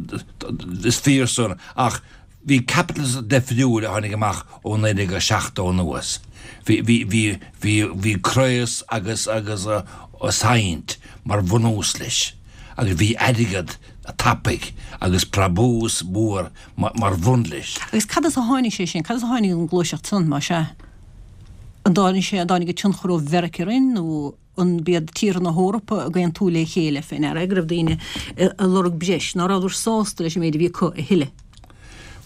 [SPEAKER 2] is fíor san, ach Bhí caipitleachas deifriúil a tháinig amach ó 1970 anuas. Bhí, bhí, bhí, bhí, bhí craos agus, agus saint mar bhunús leis. Agus bhí airgead tapaidh agus brabús mór mar bhun leis.
[SPEAKER 8] Agus cad as a tháinig sé sin? Cad as a tháinig an ghluaiseacht san, más ea? An dtáinig sé, an dtáinig an tionchar ó Mheiriceá orainn nó an b'iad tíortha na hEorpa ag aontú le chéile fé ndeara go raibh daoine ag lorg breis, ná rabhadar sásta leis an méid a bhí acu a thuilleadh?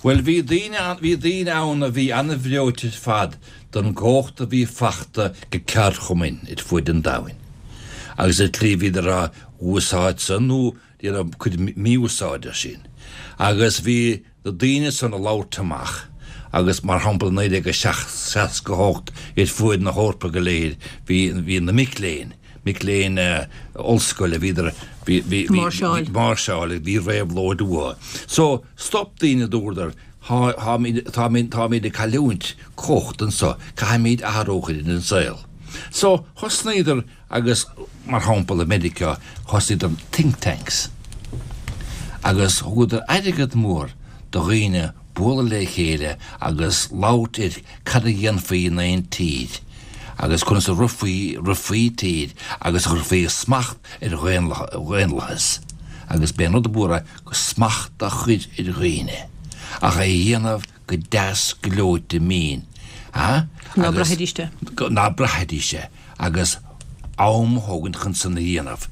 [SPEAKER 4] Bhuel, bhí daoine ann, bhí daoine ann a bhí an-bhreoite ar fad don gcumhacht a bhí fachta ag ceardchumainn ar fuaid an domhain agus an tslí a bhíodar á úsáid san nó déanamh cuid mí-úsáide as sin agus bhí na daoine san ag labhairt amach agus mar shampla i 1968 ar fuaid na hEorpa go léir bhí bhí na mic léinn, mic léinn ollscoile bhíodar bhí bhí bhí
[SPEAKER 8] Máirseáil.
[SPEAKER 4] máirseáil bhí réabhlóid uathu. So stop daoine dúradar thá tháimid táimid táimid ag cailliúint cumhacht anso caithfimid athrú a chur ar an saol. So thosnaíodar Agus, mar shampla, i Meiriceá, thosaíodar think tanks agus thugadar airgead mór do dhaoine bualadh le chéile agus labhairt ar cad a dhéanfaí in aon tír agus conas a rithfí, rithfí tír agus a chuirfí smacht ar dhaonlathas. Agus b'é an rud ab mhór é go smacht a chur ar dhaoine ach é a dhéanamh go deas gleoite mín,
[SPEAKER 8] a? Ná braithfidís
[SPEAKER 4] é. Ná braithfidís é. Agus am a thógaint chun san a dhéanamh.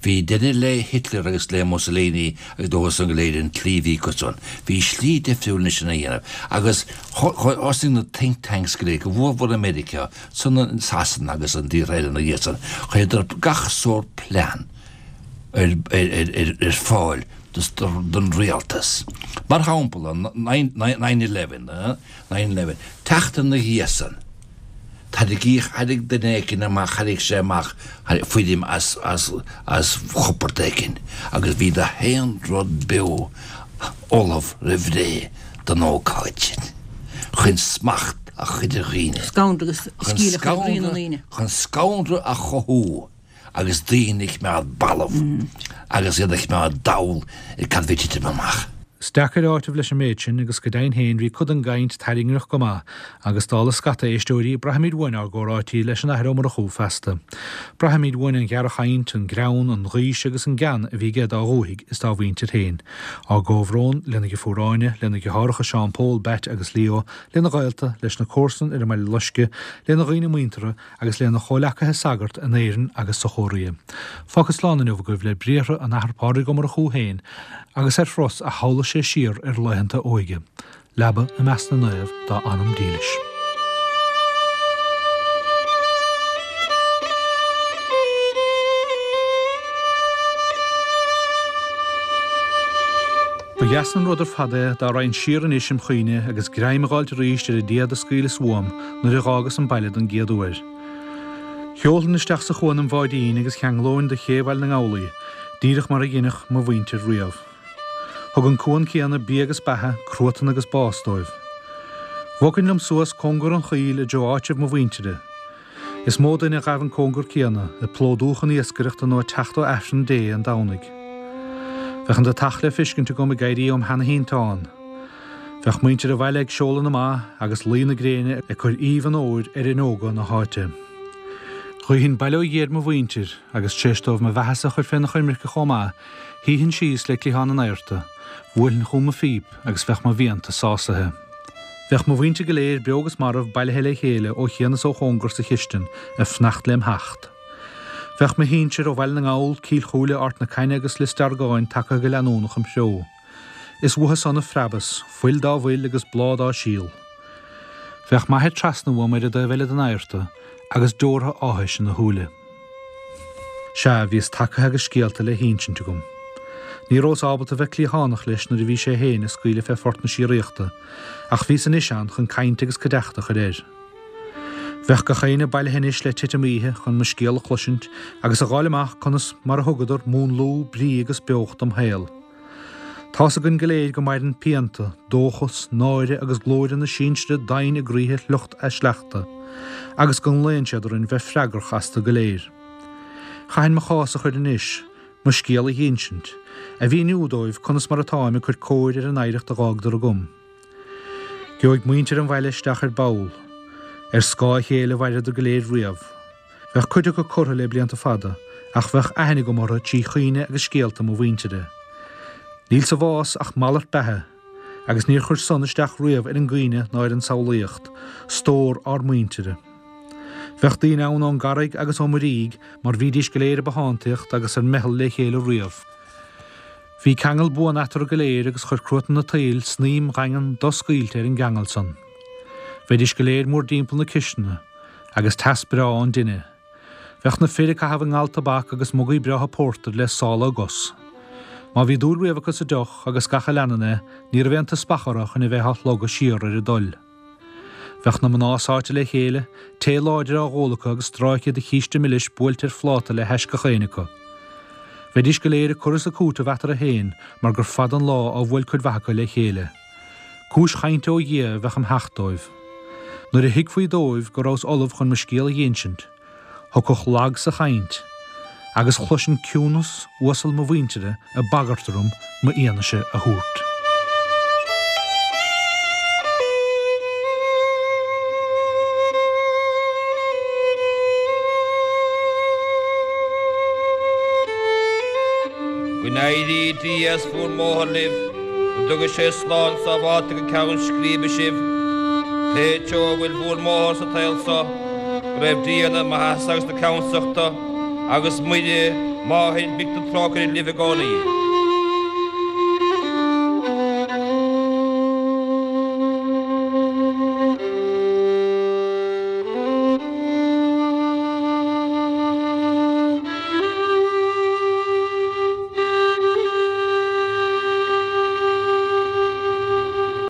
[SPEAKER 4] Bhí deireadh le Hitler agus le Mussolini agus leo san go léir an tslí a bhí acu san. Bhí slí difriúil anois chun é a dhéanamh. Agus thosaigh na think tanks go léir, go mhórmhór i Meiriceá, san i Sasana agus an dtíortha eile ina dhiaidh san, chuireadar gach sórt plean ar fáil don rialtas. Mar shampla, nine eleven, nine eleven, teacht ina dhiaidh san, thairgíodh, thairg duine éicint amach, thairg sé amach foirm as, as, as chupard éicint agus bhí gach aon rud beo ullamh roimh ré don ócáid sin, chun smacht a chur ar dhaoine.
[SPEAKER 8] Scanradh agus
[SPEAKER 4] scíl a chur i gcroí na ndaoine. Chun scanradh a chothú. agus daoine a choimeád balbh agus iad a choimeád dall ar cad a bhí ag titim amach.
[SPEAKER 1] Is deacair áiteamh leis an méid sin agus go deimhin féin bhí cuid den gcaint tairngreach go maith agus dála scata éisteoirí, braithimid uainn ár gcomhráití leis an Athair Ó Murchú feasta. Braithimid uainn an ghearrchaint, an greann, an ghaois agus an gean a bhí aige dá dhúthaigh is dá mhuintir féin. Ár gcomhbhrón lena dheirfiúr Áine, lena dheartháireacha Seán Pól, Batt agus Leo, lena ghaolta, leis na comharsain ar an mBaile Loiscthe, lena dhaoine muinteartha, agus lena chomhleacaithe sagart in Éirinn agus sa Chóiréa. Fágfad slán inniu agaibh le briathra an Athar Pádraig Ó Murchú féin agus ar thuras a shamhlaigh sé siar ar laethanta a óige. Leaba i measc na naomh dá anam dílis. Ba dheas an rud ar fad é dá raghainn siar anois im chuimhne agus greim a dh'fháilt arís ar an dtéad a scaoileas uaim nuair a dh'fhágas an baile don gcéad uair. Sheolfainn isteach sa chuan im bháidín agus cheanglóinn do ché Bhaile na nGall í, díreach mar a dheineadh mo mhuintir riamh. Thug an cuan céanna bia agus beatha, cruatan agus bás dóibh. Bhogfainn liom suas cóngar an choill i dtreo áitreabh mo mhuintire. Is mó duine a ghabh an cóngar céanna, ag plódú chun iascaireachta nó ag teacht ó Aifreann Dé an Domhnaigh. Bheadh an deatach le feiscint agam ag éirí óm sheana-shínteán. Bheadh muintir an bhaile ag seoladh na mba agus luí na gréine ag cur aoibh an fhómhair ar fhuinneoga na háite. Ghuífinn bail ó Dhia ar mo mhuintir agus tar éis dóibh mo bheathasa a chur féna choimirce chomh maith, shuífinn síos le cliathán an adharta, bhuailfinn chugam mo phíp agus bheadh mo mhianta sásaithe. Bheadh mo mhuintir go léir, beo agus marbh, bailithe le chéile ó chian is ó chóngar sa chistin ag fanacht lem theacht. Bheadh mo shinsir ó Bhaile na nGall, Cill Chúile, Ard na Caithne agus Lios Deargáin tagtha go leanúnach im threo. Is uathu san a phreabas, fuil dá bhfuil agus bláth dá síol. Bheadh m'athair trasna uaim ar an dtaobh eile den adharta agus deortha áthais ina shúile. Sea, bhíos tagtha agus scéalta le hinsint agam. Ní rabhas ábalta bheith cliathánach leis nuair a bhí sé féin ag scaoileadh fé phort na síoraíochta, ach bhíos anois ann chun caint agus cuideachta a chur air. Bheadh gach éinne bailithe anois le titim oíche chun mo scéal a chloisint agus a dh'fháil amach conas mar a thugadar múnlú, brí agus beocht dom shaol. Tá's againn go léir go maireann pianta, dóchas, náire agus glóire na sinsire doimhin i gcroíthe shliocht a sleachta, agus go nglaonn siad orainn bheith freagrach astu go léir. Chaithfinn mo chás a chur anois, mo scéal a dh'insint, a mhíniú dóibh conas mar atáim ag cur cóir ar an oidhreacht a dh'fhágadar agam. Gheobhaidh muintir an bhaile isteach ar ball. Ar scáth a chéile a mhaireadar go léir riamh. Bheadh cuid acu curtha le blianta fada, ach bheadh aithne agam orthu trí chuimhne agus scéalta mo mhuintire. Níl sa bhás ach malairt beatha, agus níor chuir san isteach riamh ar an gcuimhne ná ar an tsamhlaíocht, stór ár muintire. Bheadh daoine ann ón gCarraig agus ó Muirígh mar bhídís go léir i bbothántaíocht agus ar meitheal le chéile riamh. Bhí ceangal buan eatarthu go léir agus chuir cruatan an tsaoil snaidhm dhaingean doscaoilte ar an gceangal san. Bheidís go léir mórdtimpeall na cisteana, agus teas breá ón dtine. Bheadh na fir ag caitheamh a ngal tobac agus mugaí breátha pórtair le sála a gcos. Má bhí dúil riamh acu sa deoch agus gach a leanann é, ní raibh aon teaspach orthu chun a bheith á shlogadh siar ar a dtoil. Bheadh na mná sáite le chéile, tae láidir á dh'ól acu agus stráice de chíste milis buailte ar phláta le hais gach éinne acu. Bheidís go léir ag cur is ag cúiteamh eatarthu féin mar gur fada an lá ó bhuail cuid mhaith acu le chéile. Cúis chainte ó Dhia a bheadh im theacht dóibh. Nuair a thuigfí dóibh go rabhas ullamh chun mo scéal a dh'insint, Thiocfadh lag sa chaint, agus chloisinn ciúnas uasal mo mhuintire ag bagairt orm m'fhianaise a thabhairt.
[SPEAKER 3] Go n-éirí Dia as bhur mbóthar libh, go dtuga sé slán sábháilte go ceann scríbe sibh, pé treo a bhfuil bhur mbóthar sa tsaol so. Go raibh Dia na maitheasa agus na ceannsachta agus Muire, Máthair Mhic na Trócaire libh i gcónaí.